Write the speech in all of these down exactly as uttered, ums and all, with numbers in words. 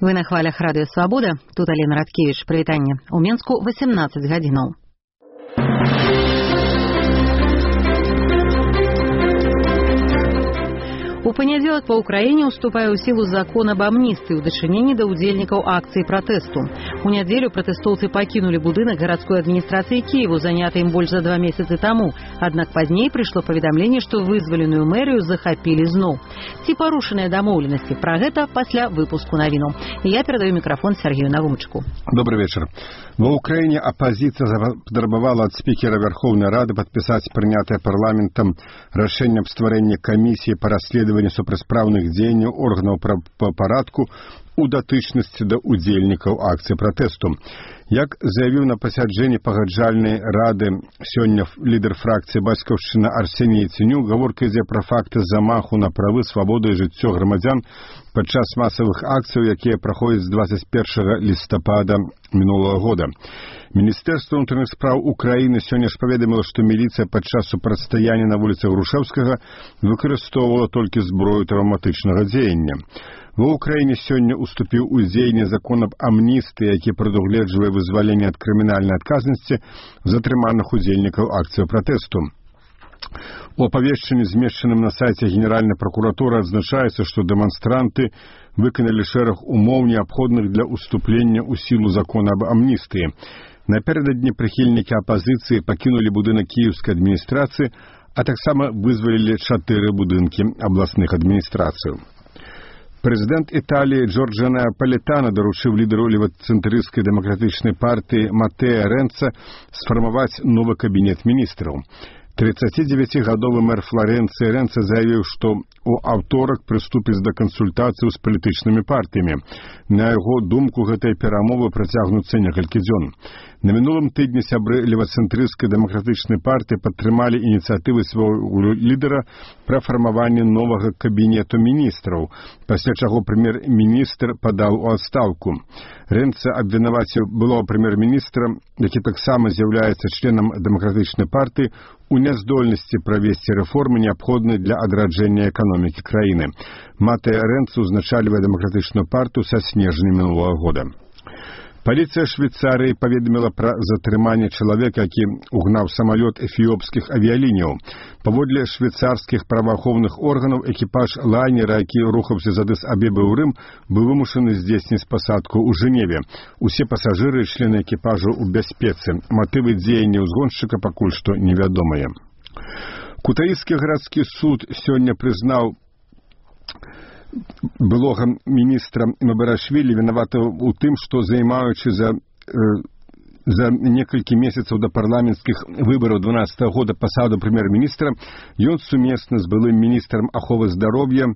Вы на хвалях радыё Свабода. Тут Алена Радкевич. Прывітанне. У Менску восемнадцать гадзінаў. У панядзелак па ўкраіне уступае ў сілу закон об амністыі ў дачыненні да ўдзельнікаў акцыі пратэсту. У нядзелю пратэстоўцы пакінулі будынак гарадской адміністрацыі Кіеву, заняты ім больш за два месяцы таму. Аднак пазней прыйшло паведамленне, што вызваленую мэрыю захапілі зноў. Ці парушаныя дамоўленасці? Пра гэта пасля выпуску навінаў. Я перадаю мікрафон Сергею Навумчыку. Добрый вечер. Ва Украине оппозиция потребовала от спикера Верховной Рады подписать принятое парламентом решение об створении комиссии по расследованию супрацьпраўных дзеянняў органаў по парадку у датычнасці да удзельнікаў акцыі пратэсту. Як заявіў на пасяджэнні пагаджальнай рады сёння лідар фракцыі бацькаўшчына Арсеній Яценюк, гаворка ідзе пра факты замаху на правы, свабоду і жыццё грамадзян падчас масавых акцыяў, якія праходзяць з двадцать первого лістапада мінулага года. Міністэрства ўнутраных спраў Украіны сёння ж паведаміла, што міліцыя падчас супрацьстаяння на вуліцах Грушэўскага выкарыстоўвала толькі зброю траўматычнага дзеяння. Ва Украіне сёння уступіў у дзеянне закон аб амністыі, які прадугледжвае вызваленне ад крымінальнай адказнасці затрыманых удзельнікаў акцыі пратэсту. У апавешчанні, змешчаным на сайце Генеральнай пракуратуры, адзначаецца, што дэманстранты выканалі шэраг умоў, неабходных для уступлення ў сілу закона аб амністыі. Напярэдадні прыхільнікі апазіцыі пакінулі будынак кіеўскай адміністрацыі, а таксама вызвалілі чатыры будынкі абласных адміністрацыяў. Прэзідэнт Італіі Джорджа Напалітана даручыў лідару левацэнтрысцкай дэмакратычнай партыі Матэа Рэнца сфармаваць новы кабінет міністраў. тридцатидевятигадовы мэр Флоренцыі Рэнца заявіў, што у аўторак прыступіць да кансультацыяў з палітычнымі партыямі. На яго думку, гэтыя перамовы працягнуцца некалькі дзён. На мінулым тыдні сябры левацэнтрысцкай дэмакратычнай партыі падтрымалі ініцыятывы свайго лідара пра фармаванне новага кабінету міністраў, пасля чаго прэм'ер-міністр падаў у адстаўку. Рэнца абвінаваціў былога прэм'ер-міністра, які таксама з'яўляецца членам дэмакратычнай партыі, у няздольнасці правесці рэформы, неабходныя для адраджэння эканомікі краіны. Матэа Рэнца узначальвае дэмакратычную партыю са снежня мінулага года. Паліцыя Швейцарыі паведаміла пра затрыманне чалавека, які угнаў самалёт эфіопскіх авіяліняў. Паводле швейцарскіх праваахоўных органаў, экіпаж лайнера, які рухаўся з Адыс-Абебы ў Рым, быў вымушаны здзейсніць пасадку ў Жэневе. Усе пасажыры і члены экіпажу ў бяспецы. Матывы дзеяння ўзгоншчыка пакуль што невядомыя. Кутаіскі гарадскі суд сёння прызнаў былога міністра Мебарашвілі вінаватым у тым, што займаючы за, э, за некалькі месяцаў да парламенцкіх выбараў дванаццатага года пасаду прэм'ер-міністра, ён сумесна з былым міністрам аховы здароўя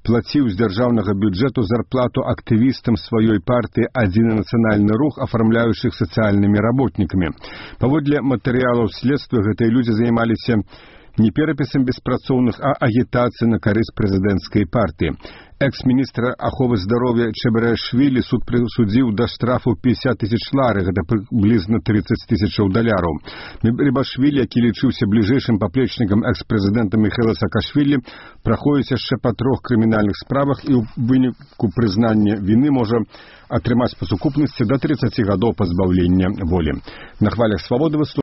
плаціў з дзяржаўнага бюджэту зарплату актывістам сваёй партыі «Адзіны нацыянальны рух», афармляючых сацыяльнымі работнікамі. Паводле матэрыялаў следства, гэтыя людзі займаліся не перапісам беспрацоўных, а агітацыяй на карысць прэзідэнцкай партыі. Экс-міністра аховы здароўя Чебарашвілі суд прысудзіў да штрафу пятьдесят тысяч лары, гэта прыблізна тридцать тысячаў даляраў. Мебарашвілі, які лічыўся бліжэйшым паплечнікам экс-прэзідэнта Міхаіла Саакашвілі, праходзіць яшчэ па трох крымінальных справах і ў выніку прызнання віны можа атрымаць па сукупнасці да тридцати гадоў пазбаўлення волі. На хвалях Свабоды